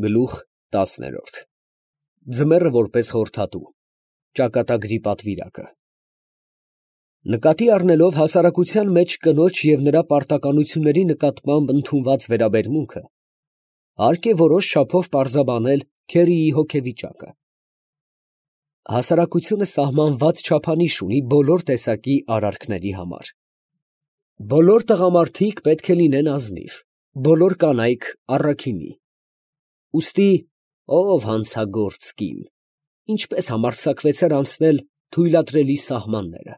Գլուխ 10 Ձմեռը որպես խորհրդատու ճակատագրի պատվիրակը նկատի առնելով հասարակության մեջ կնոջ և նրա պարտականությունների նկատմամբ ընդունված վերաբերմունքը, հարկ է որոշ չափով պարզաբանել Քերիի հոգեվիճակը։ Հասարակությունը սահմանված չափանիշ ունի բոլոր տեսակի արարքների համար։ Բոլոր տղամարդիկ պետք է լինեն ազնիվ, բոլոր կանայք առաքինի։ Ուստի ով հանցագործ կին, ինչպես համարձակվեցեր անցնել թույլատրելի սահմանները,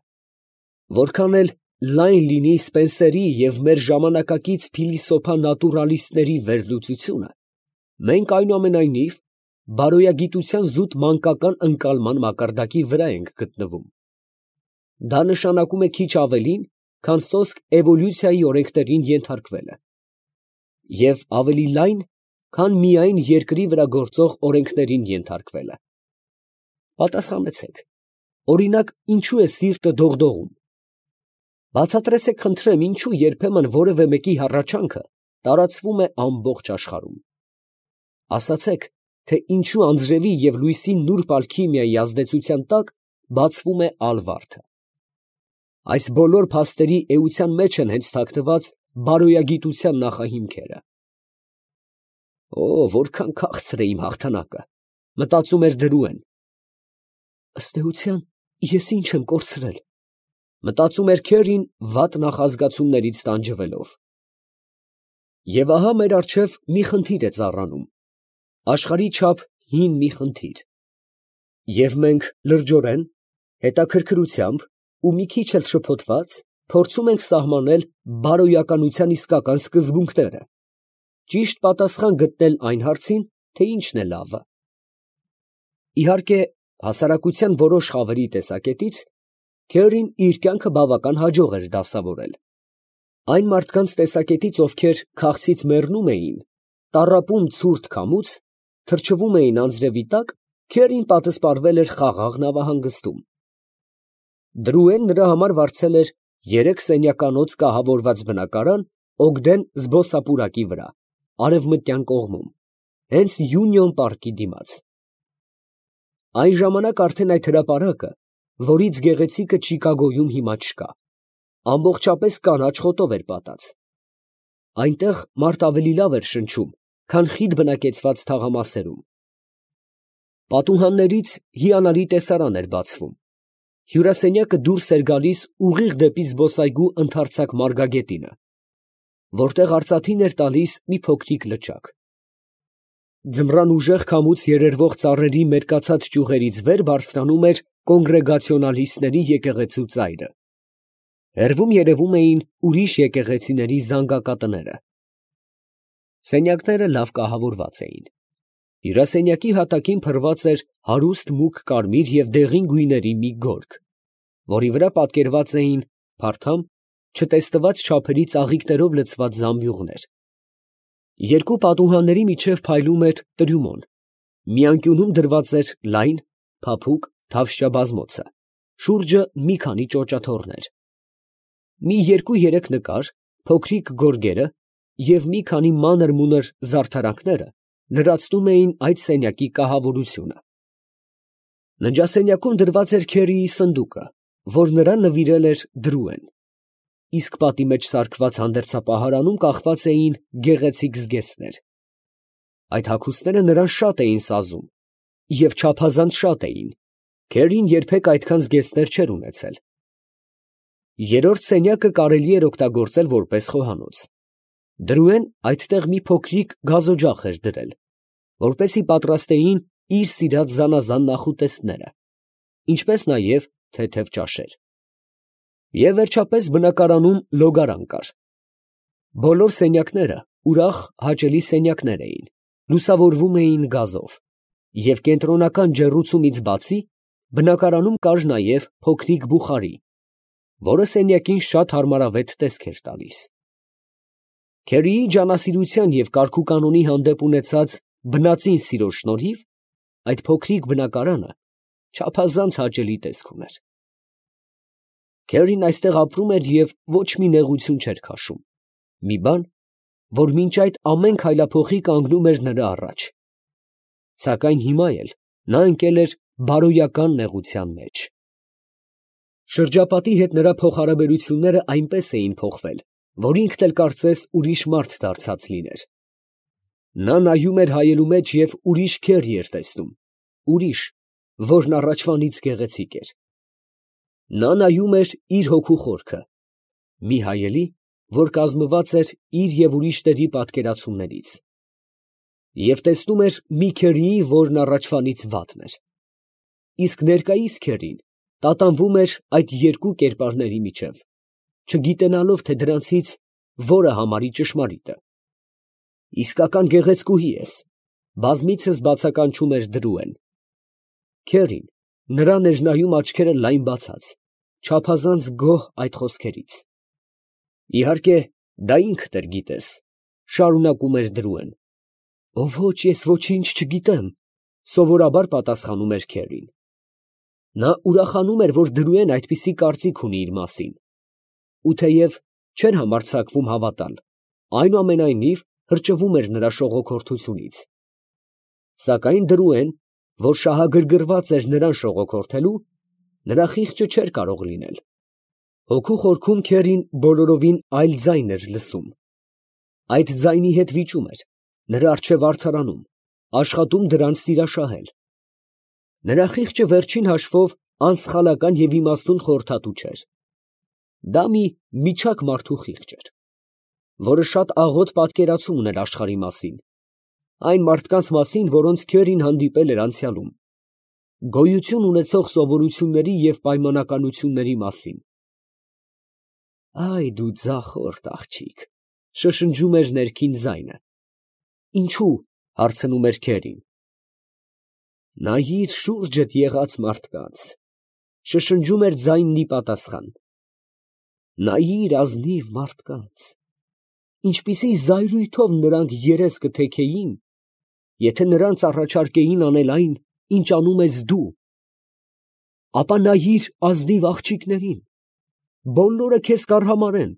որքան էլ լայն լինի Սպենսերի և մեր ժամանակակից փիլիսոփա նատուրալիստների վերլուծությունը, մենք այնուամենայնիվ բարոյագիտության զուտ մանկական ընկալման մակարդակի վրա ենք գտնվում։ Դա նշանակում է քիչ ավելին, քան սոսկ էվոլյուցիայի օրենքներին ենթարկվելը, և ավելի լայն, քան միայն երկրի վրա գործող օրենքներին ենթարկվելը։ Պատասխանեցեք, օրինակ, ինչու է սիրտը դողդողում։ Բացատրեցեք, խնդրեմ, ինչու երբեմն որևէ մեկի հառաչանքը տարածվում է ամբողջ աշխարհում։ Ասացեք, թե ինչու անձրևի և լույսի նուրբ ալքիմիայի ազդեցության տակ բացվում է ալվարդը։ Այս բոլոր փաստերի էության մեջ են հենց թաքնված բարոյագիտության նախահիմքերը։ Օ, որքան քաղցր է իմ հաղթանակը, մտածում էր Դրուեն։ Ըստ էության, ես ինչ եմ կորցրել, մտածում էր Քերին վատ նախազգացումներից տանջվելով։ Եվ ահա մեր առջև մի խնդիր է ծառանում, աշխարհի չափ հին մի խնդիր, և մենք լրջորեն, հետաքրքրությամբ ու մի քիչ էլ շփոթված փորձում ենք սահմանել բարոյականության իսկական սկզբունքները, ճիշտ պատասխան գտնել այն հարցին, թե ի՞նչն է լավը։ Իհարկե, հասարակության որոշ խավերի տեսակետից Քերին իր կյանքը բավական հաջող էր դասավորել։ Այն մարդկանց տեսակետից, ովքեր քաղցից մեռնում էին, տառապում ցուրտ քամուց, թրջվում էին անձրևի տակ, Քերին պատսպարվել էր խաղաղ նավահանգստում։ Դրուեն նրա համար վարձել էր 3 սենյականոց կահավորված բնակարան Օգդեն զբոսապուրակի վրա, արևմտյան կողմում, հենց Յունիոն պարկի դիմաց։ Այն ժամանակ արդեն այդ հրապարակը, որից գեղեցիկը Չիկագոյում հիմա չկա, ամբողջապես կանաչ խոտով էր պատած։ Այնտեղ մարդ ավելի լավ էր շնչում, քան խիտ բնակեցված թաղամասերում։ Պատուհաններից հիանալի տեսարան էր բացվում։ Հյուրասենյակը դուրս էր գալիս ուղիղ դեպի զբոսայգու ընդարձակ մարգագետինը, որտեղ արծաթին էր տալիս մի փոքրիկ լճակ։ Ձմռան ուժեղ քամուց երերվող ծառերի մերկացած ճյուղերից վեր բարձրանում էր կոնգրեգացիոնալիստների եկեղեցու ծայրը։ Հեռվում երևում էին ուրիշ եկեղեցիների զանգակատները։ Սենյակները լավ կահավորված էին։ Հյուրասենյակի հատակին փռված էր հարուստ մուգ կարմիր և դեղին գույների մի գորգ, որի վրա պատկերված էին փարթամ, չտեսնված չափերի ծաղիկներով լցված զամբյուղներ։ Երկու պատուհանների միջև փայլում էր տրյումոն, մի անկյունում դրված էր լայն, փափուկ թավշյա բազմոցը, շուրջը մի քանի ճոճաթոռներ։ Մի 2-3 նկար, փոքրիկ գորգերը և մի քանի մանր֊մունր զարդարանքները լրացնում էին այդ սենյակի կահավորությունը։ Ննջասենյակում դրված էր Քերիի սնդուկը, որ նրան նվիրել էր Դրուեն, իսկ պատի մեջ սարքված հանդերձապահարանում կախված էին գեղեցիկ զգեստներ։ Այդ հագուստները նրան շատ էին սազում, և չափազանց շատ էին, Քերին երբեք այդքան զգեստներ չէր ունեցել։ Երրորդ սենյակը կարելի էր օգտագործել որպես խոհանոց։ Դրուեն այդտեղ մի փոքրիկ գազօջախ էր դրել, որպեսզի պատրաստեին իր սիրած զանազան նախուտեստները, ինչպես նաև թեթև ճաշեր։ Եվ վերջապես բնակարանում լոգարան կար։ Բոլոր սենյակները ուրախ, հաճելի սենյակներ էին, լուսավորվում էին գազով, և կենտրոնական ջեռուցումից բացի բնակարանում կար նաև փոքրիկ բուխարի, որը սենյակին շատ հարմարավետ տեսք էր տալիս։ Քերիի ջանասիրության և կարգուկանոնի հանդեպ ունեցած բնածին սիրո շնորհիվ այդ փոքրիկ բնակարանը չափազանց հաճելի տեսք ուներ։ Քերին այստեղ ապրում էր և ոչ մի նեղություն չէր քաշում, մի բան, որ մինչ այդ ամեն քայլափոխի կանգնում էր նրա առաջ, Սակայն հիմա էլ նա ընկել էր բարոյական նեղության մեջ։ Շրջապատի հետ նրա փոխհարաբերությունները այնպես էին փոխվել, որ ինքն էլ կարծես ուրիշ մարդ դարձած լիներ։ Նա նայում էր հայելու մեջ և ուրիշ քեր էր տեսնում, ուրիշ, որն առաջվանից գեղեցիկ էր։ Նա նայում էր իր հոգու խորքը, մի հայելի, որ կազմված էր իր և ուրիշների պատկերացումներից, և տեսնում էր մի քերիի, որն առաջվանից վատն էր, իսկ ներկայիս քերին տատանվում էր այդ երկու կերպարների միջև, չգիտենալով, թե դրանցից որը համարի ճշմարիտը։ Իսկական գեղեցկուհի ես, բազմիցս բացականչում էր Դրուեն։ Քերին նրան էր նայում աչքերը լայն բացած, չափազանց գոհ այդ խոսքերից։ Իհարկե, դա ինքդ էլ գիտես, շարունակում էր Դրուեն։ Ոչ, ես ոչինչ չգիտեմ, սովորաբար պատասխանում էր քերին։ Նա ուրախանում էր, որ Դրուեն այդպիսի կարծիք ունի իր մասին, ու թեև չէր համարձակվում հավատալ, այնուամենայնիվ հրճվում էր նրա շողոքորթությունից։ Սակայն Դրուեն, որ շահագրգռված էր նրան շողոքորթելու, նրա խիղճը չէր կարող լինել։ Հոգու խորքում քերին բոլորովին այլ ձայն էր լսում։ Այդ ձայնի հետ վիճում էր, նրա առջև արդարանում, աշխատում դրանց սիրաշահել։ Նրա խիղճը վերջին հաշվով անսխալական և իմաստուն խորհրդատու չէր։ Դա մի միջակ մարդու խիղճ էր, որը շատ աղոտ պատկերացում ուներ աշխարհի մասին, այն մարդկանց մասին, որոնց քերին հանդիպել էր անցյալում, գոյություն ունեցող սովորությունների և պայմանականությունների մասին։ Այ դու ձախորդ աղջիկ, շշնջում էր ներքին ձայնը։ Ինչու՞, հարցնում էր քերին։ Նայիր շուրջդ եղած մարդկանց, շշնջում էր ձայնն ի պատասխան։ Նայիր ազնիվ մարդկանց, ինչպիսի զայրույթով նրանք երես կթեքեին, եթե նրանց առաջարկեին անել այն, ինչ անում ես դու։ Ապա նայիր ազնիվ աղջիկներին, բոլորը քեզ կարհամարեն,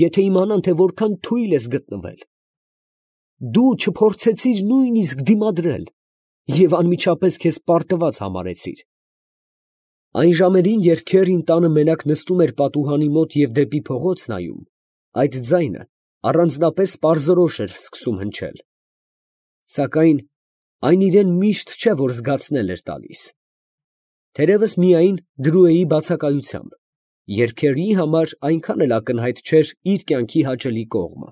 եթե իմանան, թե որքան թույլ ես գտնվել։ Դու չփորձեցիր նույնիսկ դիմադրել և անմիջապես քեզ պարտված համարեցիր։ Այն ժամերին, երբ քերին տանը մենակ նստում էր պատուհանի մոտ և դեպի փողոց նայում, այդ ձայնը առանձնապես պարզորոշ էր սկսում հնչել։ Սակայն այն իրան միշտ չէ, որ զգացնել էր տալիս։ Թերևս միայն Դրուեի բացակայությամբ, երբ քերիի համար այնքան էլ ակնհայտ չէր իր կյանքի հաճելի կողմը։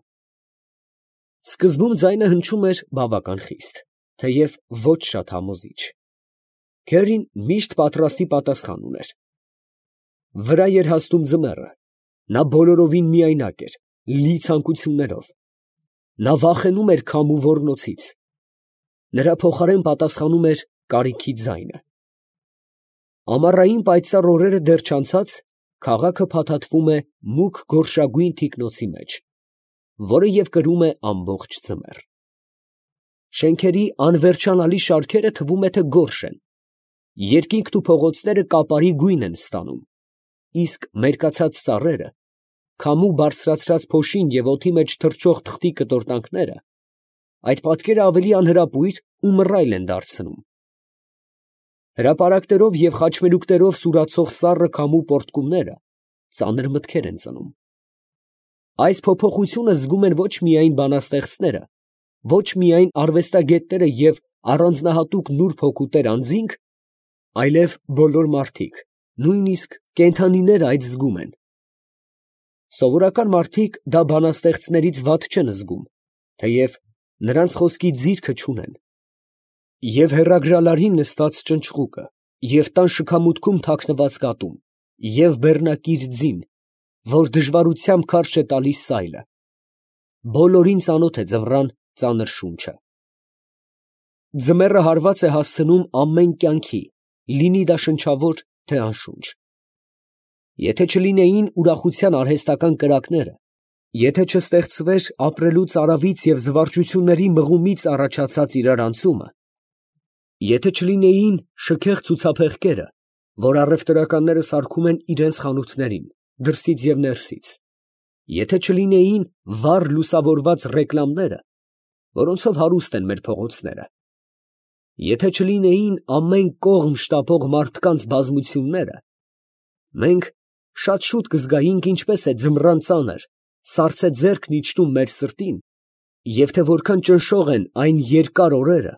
Սկզբում ձայնը հնչում էր բավական խիստ, թեև ոչ շատ համոզիչ։ Քերին միշտ պատրաստի պատասխան ուներ։ Վրա էր հասնում ձմեռը, նա բոլորովին միայնակ էր, լի ցանկություններով։ Նա վախենում էր քամու ոռնոցից։ Նրա փոխարեն պատասխանում էր կարիքի ձայնը։ Ամառային պայծառ օրերը դեռ չանցած, քաղաքը փաթաթվում է մուգ գորշագույն թիկնոցի մեջ, որը և կրում է ամբողջ ձմեռ։ Շենքերի անվերջանալի շարքերը թվում է, թե գորշ են, երկինքն ու փողոցները կապարի գույն են ստանում, իսկ մերկացած ծառերը, քամու բարձրացրած փոշին և օդի մեջ թռչող թղթի կտորտանքները այդ պատկերը ավելի անհրապույր ու մռայլ են դարձնում։ Հրապարակներով և խաչմերուկներով սուրացող սառը քամու պոռթկումները ծանր մտքեր են ծնում։ Այս փոփոխությունը զգում են ոչ միայն բանաստեղծները, ոչ միայն արվեստագետները և առանձնահատուկ նուրբ հոգու տեր անձինք, այլև բոլոր մարդիկ, նույնիսկ կենդանիները այդ զգում են։ Սովորական մարդիկ դա բանաստեղծներից վատ չեն զգում, թեև նրանց խոսքի ձիրքը չունեն։ Եվ հեռագրալարին նստած ճնճղուկը, և տան շքամուտքում թաքնված կատուն, և բեռնակիր ձին, որ դժվարությամբ քարշ է տալիս սայլը, բոլորին ծանոթ է ձմռան ծանր շունչը։ Ձմեռը հարված է հասցնում ամեն կյանքի, լինի դա շնչավոր, թե անշունչ։ Եթե չլինեին ուրախության արհեստական կրակները, եթե չստեղծվեր ապրելու ծարավից և զվարճությունների մղումից առաջացած իրարանցումը, եթե չլինեին շքեղ ցուցափեղկերը, որ առևտրականները սարքում են իրենց խանութներին, դրսից և ներսից, եթե չլինեին վառ լուսավորված ռեկլամները, որոնցով հարուստ են մեր փողոցները, Եթե չլինեին ամեն կողմ շտապող մարդկանց բազմությունները, մենք շատ շուտ կզգայինք ինչպես է ձմռան ծանր, սառցե ձեռքն իջնում մեր սրտին, և թե որքան ճնշող են այն երկար օրերը,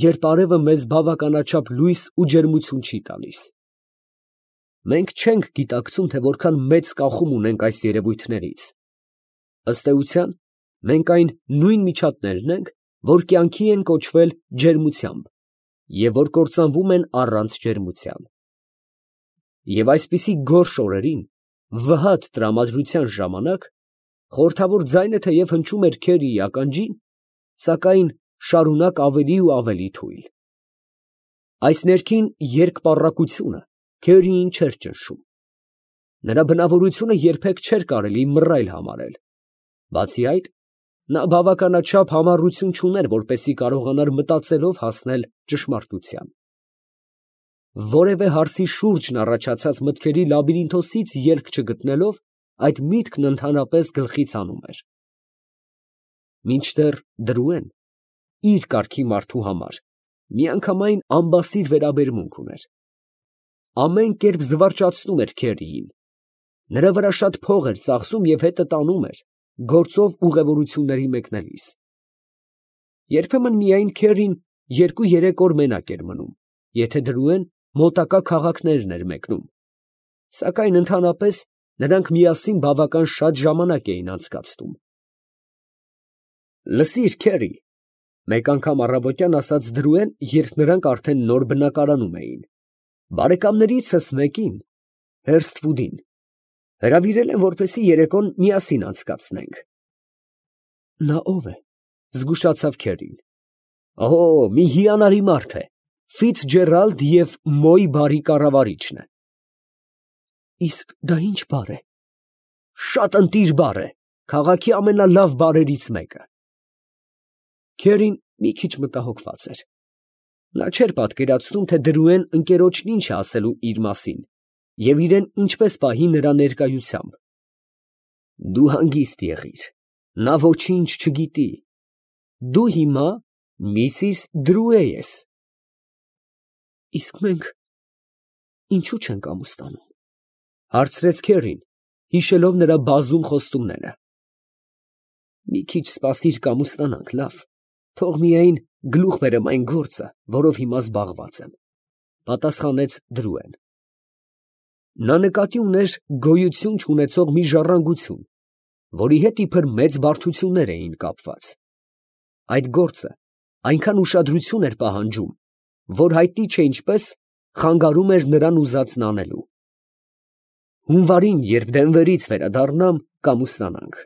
երբ արևը մեզ բավականաչափ լույս ու ջերմություն չի տալիս։ Մենք չենք գիտակցում, թե որքան մեծ կախում ունենք այս երևույթներից։ Ըստ էության, մենք այն նույն միջատներն ենք, որ կյանքի են կոչվել ջերմությամբ, և որ կործանվում են առանց ջերմության։ Եվ այսպիսի գորշ օրերին, վհատ տրամադրության ժամանակ, խորհրդավոր ձայնը թեև հնչում էր Քերիի ականջին, սակայն շարունակ ավելի ու ավելի թույլ։ Այս ներքին երկպառակությունը Քերիին չէր ճնշում։ Նրա բնավորությունը երբեք չէր կարելի մռայլ համարել։ Բացի այդ, նա բավականաչափ համառություն չուներ, որպեսզի կարողանար մտածելով հասնել ճշմարտության։ Որևէ հարցի շուրջն առաջացած մտքերի լաբիրինթոսից ելք չգտնելով, այդ միտքն ընդհանրապես գլխից հանում էր։ Մինչդեռ Դրուեն իր կարգի մարդու համար միանգամայն ամբասիր վերաբերմունք ուներ։ Ամեն կերպ զվարճացնում էր Քերիին։ Նրա վրա շատ փող էր ծախսում և հետը տանում էր, գործով ուղևորությունների մեկնելիս։ Երբեմն միայն Քերին 2-3 օր մենակ էր մնում, եթե Դրուեն մոտակա քաղաքներն էր մեկնում, սակայն ընդհանրապես նրանք միասին բավական շատ ժամանակ էին անցկացնում։ «Լսիր, Քերի, ֊ մեկ անգամ առավոտյան ասաց Դրուեն, երբ նրանք արդեն նոր բնակարանում էին, ֊ բարեկամներիցս մեկին, Հերսթվուդին, հրավիրել եմ, որպեսզի երեկոն միասին անցկացնենք»։ «Նա ո՞վ է, ֊ զգուշացավ Քերին։ ֊ Օ, մի հիանալի մարդ է, Ֆիցջերալդ և Մոյ բարի կառավարիչն է։ ֊ Իսկ դա ի՞նչ բարր է։ ֊ Շատ ընտիր բարր է, քաղաքի ամենալավ բարերից մեկը։ Քերին մի քիչ մտահոգված էր։ Նա չէր պատկերացնում, թե Դրուեն ընկերոջն ինչ է ասելու իր մասին և իրեն ինչպես պահի նրա ներկայությամբ։ Դու հանգիստ եղիր, նա ոչինչ չգիտի, դու հիմա Միսիս Դրուե ես։ Իսկ մենք ինչո՞ւ չենք ամուսնանում, ֊ հարցրեց Քերին, հիշելով նրա բազում խոստումները։ Մի քիչ սպասիր կամուսնանանք, լավ, թող միայն գլուխ բերեմ այն գործը, որով հիմա զբաղված եմ, ֊ պատասխանեց Դրուեն։ Նա նկատի ուներ գոյություն չունեցող մի ժառանգություն, որի հետ իբր մեծ բարդություններ էին կապված։ Այդ գործը այնքան ուշադրություն էր պահանջում, որ հայտնի չէ ինչպես խանգարում էր նրան ուզածն անելու։ Հունվարին, երբ Դենվերից վերադառնամ, կամուսնանանք։